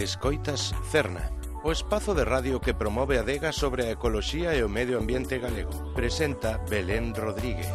Escoitas Cerna, o espazo de radio que promove a adega sobre a ecoloxía e o medio ambiente galego. Presenta Belén Rodríguez.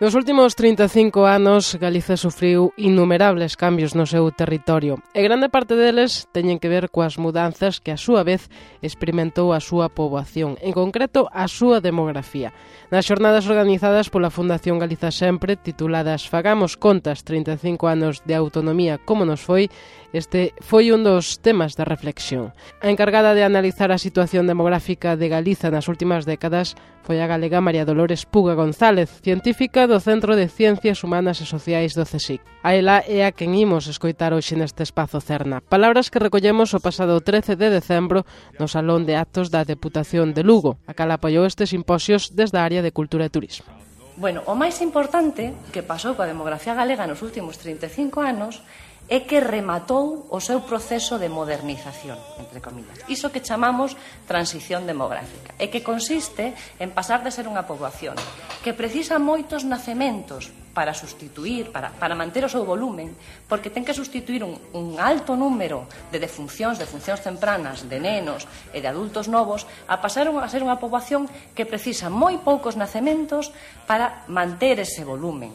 Nos últimos 35 anos, Galiza sufriu innumerables cambios no seu territorio e grande parte deles teñen que ver coas mudanzas que a súa vez experimentou a súa poboación, en concreto a súa demografía. Nas xornadas organizadas pola Fundación Galiza Sempre, tituladas Fagamos contas 35 anos de autonomía como nos foi, este foi un dos temas de reflexión. A encargada de analizar a situación demográfica de Galiza nas últimas décadas foi a galega María Dolores Puga González, científica do Centro de Ciencias Humanas e Sociais do CSIC. A ela é a quen imos escoitar hoxe neste espazo Cerna. Palabras que recollemos o pasado 13 de decembro no Salón de Actos da Deputación de Lugo, a cal apoiou estes simposios desde a área de Cultura e Turismo. Bueno, o máis importante que pasou coa demografía galega nos últimos 35 anos é que rematou o seu proceso de modernización, entre comillas. Iso que chamamos transición demográfica, e que consiste en pasar de ser unha poboación que precisa moitos nacementos para sustituir, para manter o seu volumen, porque ten que sustituir un alto número de defuncións tempranas, de nenos e de adultos novos, a pasar a ser unha poboación que precisa moi poucos nacementos para manter ese volumen.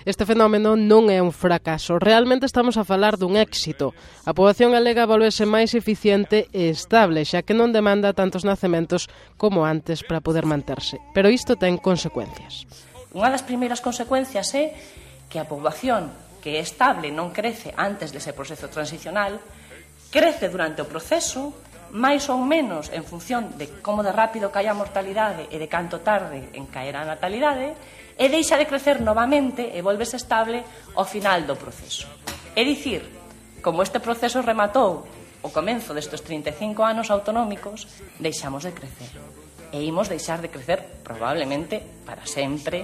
Este fenómeno non é un fracaso, realmente estamos a falar dun éxito. A poboación galega volvese máis eficiente e estable, xa que non demanda tantos nacementos como antes para poder manterse. Pero isto ten consecuencias. Unha das primeiras consecuencias é que a poboación que é estable non crece antes dese proceso transicional, crece durante o proceso, máis ou menos en función de como de rápido cae a mortalidade e de canto tarde en caer a natalidade, e deixa de crecer novamente e volvese estable ao final do proceso. É dicir, como este proceso rematou o comenzo destes 35 anos autonómicos, deixamos de crecer. E imos deixar de crecer probablemente para sempre,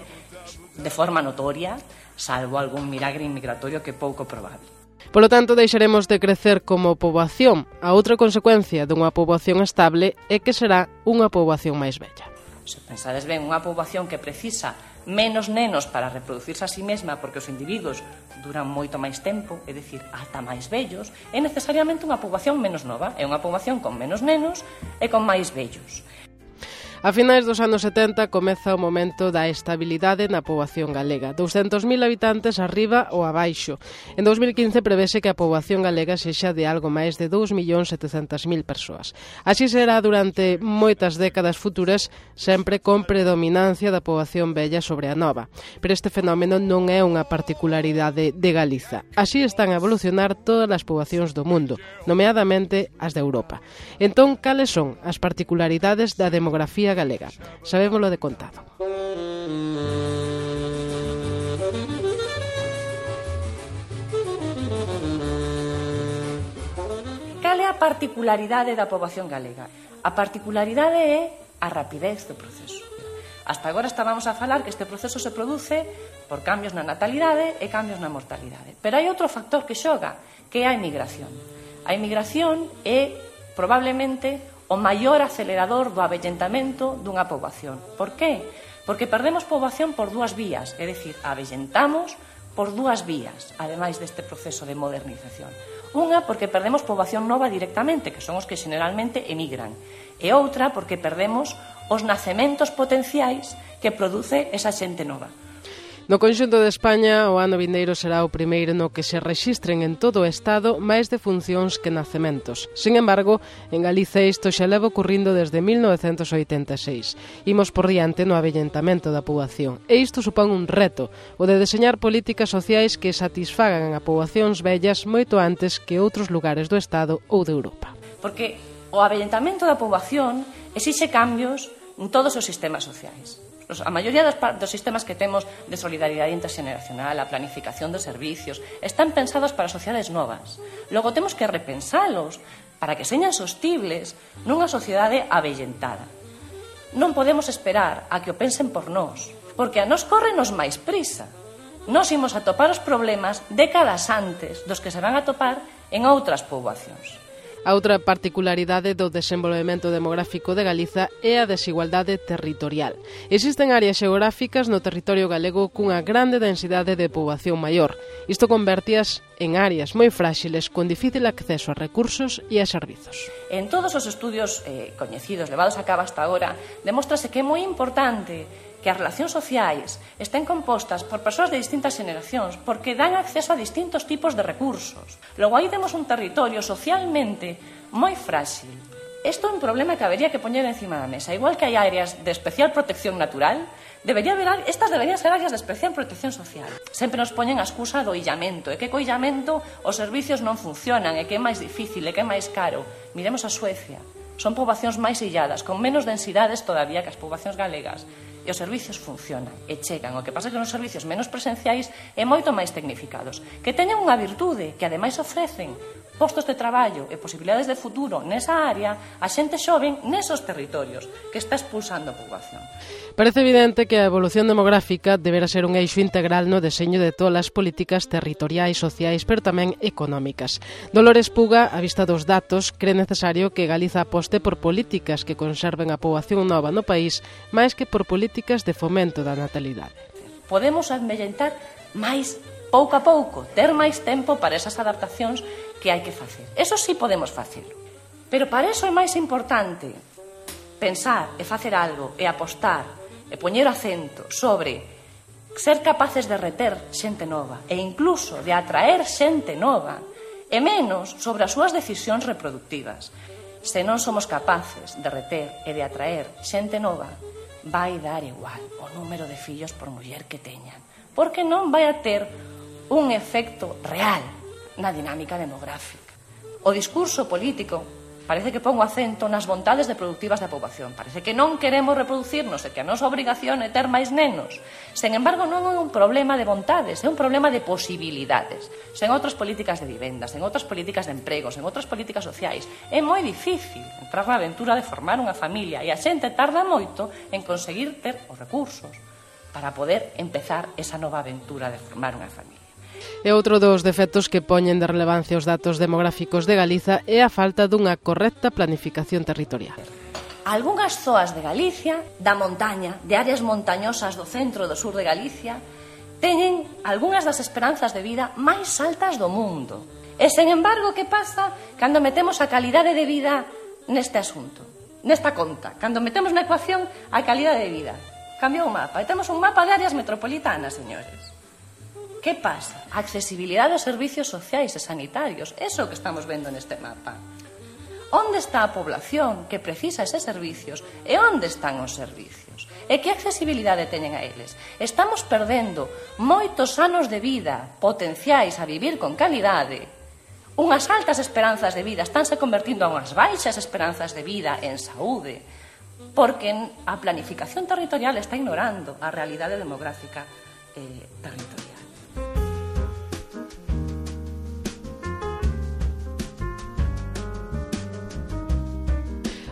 de forma notoria, salvo algún milagre migratorio que é pouco probable. Polo tanto, deixaremos de crecer como poboación. A outra consecuencia dunha poboación estable é que será unha poboación máis bella. Se pensades ben, unha poboación que precisa menos nenos para reproducirse a sí mesma porque os individuos duran moito máis tempo, é dicir, ata máis vellos, é necesariamente unha poboación menos nova, é unha poboación con menos nenos e con máis vellos. A finais dos anos 70 comeza o momento da estabilidade na poboación galega, 200.000 habitantes arriba ou abaixo. En 2015 prevese que a poboación galega sexa de algo máis de 2.700.000 persoas. Así será durante moitas décadas futuras, sempre con predominancia da poboación vella sobre a nova. Pero este fenómeno non é unha particularidade de Galiza. Así están a evolucionar todas as poboacións do mundo, nomeadamente as de Europa. Entón, cales son as particularidades da demografía galega? Sabémolo de contado. Cal é a particularidade da poboación galega? A particularidade é a rapidez do proceso. Hasta agora estábamos a falar que este proceso se produce por cambios na natalidade e cambios na mortalidade. Pero hai outro factor que xoga, que é a emigración. A emigración é probablemente o maior acelerador do avellentamento dunha poboación. Por qué? Porque perdemos poboación por dúas vías, é dicir, avellentamos por dúas vías, ademais deste proceso de modernización. Unha, porque perdemos poboación nova directamente, que son os que generalmente emigran, e outra, porque perdemos os nacementos potenciais que produce esa xente nova. No conxunto de España, o ano vindeiro será o primeiro no que se rexistren en todo o Estado máis defuncións que nacementos. Sin embargo, en Galiza isto xa leva ocurrindo desde 1986. Imos por diante no avellentamento da poboación. E isto supón un reto, o de deseñar políticas sociais que satisfagan a poboacións vellas moito antes que outros lugares do Estado ou de Europa. Porque o avellentamento da poboación exixe cambios en todos os sistemas sociais. A maioría dos sistemas que temos de solidaridade interxeneracional, a planificación dos servicios, están pensados para sociedades novas. Logo temos que repensalos para que señan sostibles nunha sociedade avellentada. Non podemos esperar a que o pensen por nós, porque a nós córrenos máis prisa. nos imos atopar os problemas décadas antes dos que se van a atopar en outras poboacións. A outra particularidade do desenvolvemento demográfico de Galiza é a desigualdade territorial. Existen áreas xeográficas no territorio galego cunha grande densidade de poboación maior. Isto convertías en áreas moi fráxiles con difícil acceso a recursos e a servizos. En todos os estudios coñecidos, levados a cabo hasta agora, demóstrase que é moi importante que as relacións sociais estén compostas por persoas de distintas xeneracións porque dan acceso a distintos tipos de recursos. Logo, aí temos un territorio socialmente moi frágil. Isto é un problema que habería que poñer encima da mesa. Igual que hai áreas de especial protección natural, estas deberían ser áreas de especial protección social. Sempre nos poñen a excusa do illamento, e que co illamento os servicios non funcionan, e que é máis difícil, e que é máis caro. Miremos a Suecia. Son poboacións máis illadas, con menos densidades todavía que as poboacións galegas. E os servicios funcionan e chegan. O que pasa é que nos servicios menos presenciais e moito máis tecnificados, que teñen unha virtude, que ademais ofrecen postos de traballo e posibilidades de futuro nesa área a xente xoven nesos territorios que está expulsando a poboación. Parece evidente que a evolución demográfica deberá ser un eixo integral no deseño de todas as políticas territoriais, sociais, pero tamén económicas. Dolores Puga, a vista dos datos, cree necesario que Galiza aposte por políticas que conserven a poboación nova no país, máis que por políticas de fomento da natalidade. Podemos amellentar máis pouco a pouco, ter máis tempo para esas adaptacións que hai que facer. Eso sí podemos facelo. Pero para eso é máis importante pensar e facer algo e apostar e poñer acento sobre ser capaces de reter xente nova e incluso de atraer xente nova e menos sobre as súas decisións reproductivas. Se non somos capaces de reter e de atraer xente nova, vai dar igual o número de fillos por muller que teñan, porque non vai a ter un efecto real na dinámica demográfica. O discurso político parece que pon o acento nas vontades productivas da poboación. Parece que non queremos reproducirnos e que a nosa obrigación é ter máis nenos. Sen embargo, non é un problema de vontades, é un problema de posibilidades. Sen outras políticas de vivenda, sen outras políticas de emprego, sen outras políticas sociais, é moi difícil entrar na aventura de formar unha familia e a xente tarda moito en conseguir ter os recursos para poder empezar esa nova aventura de formar unha familia. E outro dos defectos que poñen de relevancia os datos demográficos de Galiza é a falta dunha correcta planificación territorial. Algunhas zoas de Galicia, da montaña, de áreas montañosas do centro e do sur de Galicia, teñen algunhas das esperanzas de vida máis altas do mundo. E, sen embargo, que pasa cando metemos a calidade de vida neste asunto, nesta conta? Cando metemos na ecuación a calidade de vida. Cambiou o mapa. E temos un mapa de áreas metropolitanas, señores. Que pasa? A accesibilidade aos servicios sociais e sanitarios. Eso que estamos vendo neste mapa. Onde está a población que precisa eses servicios e onde están os servicios? E que accesibilidade teñen a eles? Estamos perdendo moitos anos de vida potenciais a vivir con calidade. Unhas altas esperanzas de vida estánse convertindo en unhas baixas esperanzas de vida en saúde, porque a planificación territorial está ignorando a realidade demográfica territorial.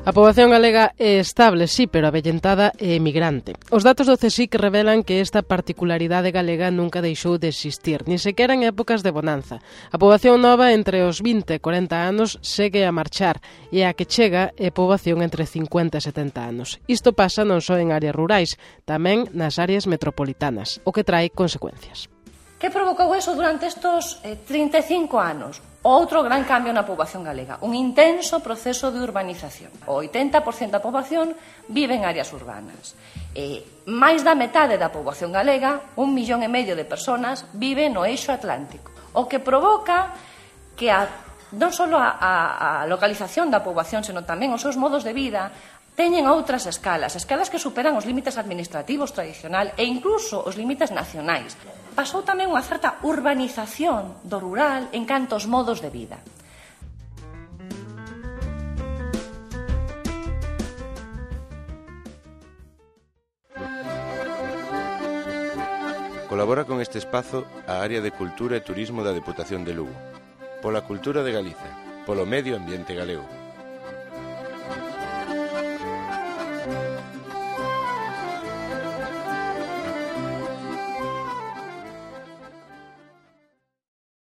A poboación galega é estable, sí, pero avellentada e emigrante. Os datos do CSIC revelan que esta particularidade galega nunca deixou de existir, ni sequera en épocas de bonanza. A poboación nova entre os 20 e 40 anos segue a marchar e a que chega é poboación entre 50 e 70 anos. Isto pasa non só en áreas rurais, tamén nas áreas metropolitanas, o que trae consecuencias. Que provocou eso durante estos 35 anos? Outro gran cambio na poboación galega, un intenso proceso de urbanización. O 80% da poboación vive en áreas urbanas. Máis da metade da poboación galega, 1,5 millón de persoas, vive no eixo atlántico. O que provoca que non só a localización da poboación, senón tamén os seus modos de vida, teñen outras escalas que superan os límites administrativos tradicional e incluso os límites nacionais. Pasou tamén unha certa urbanización do rural en canto aos modos de vida. Colabora con este espazo a Área de Cultura e Turismo da Deputación de Lugo. Pola cultura de Galiza, polo medio ambiente galego.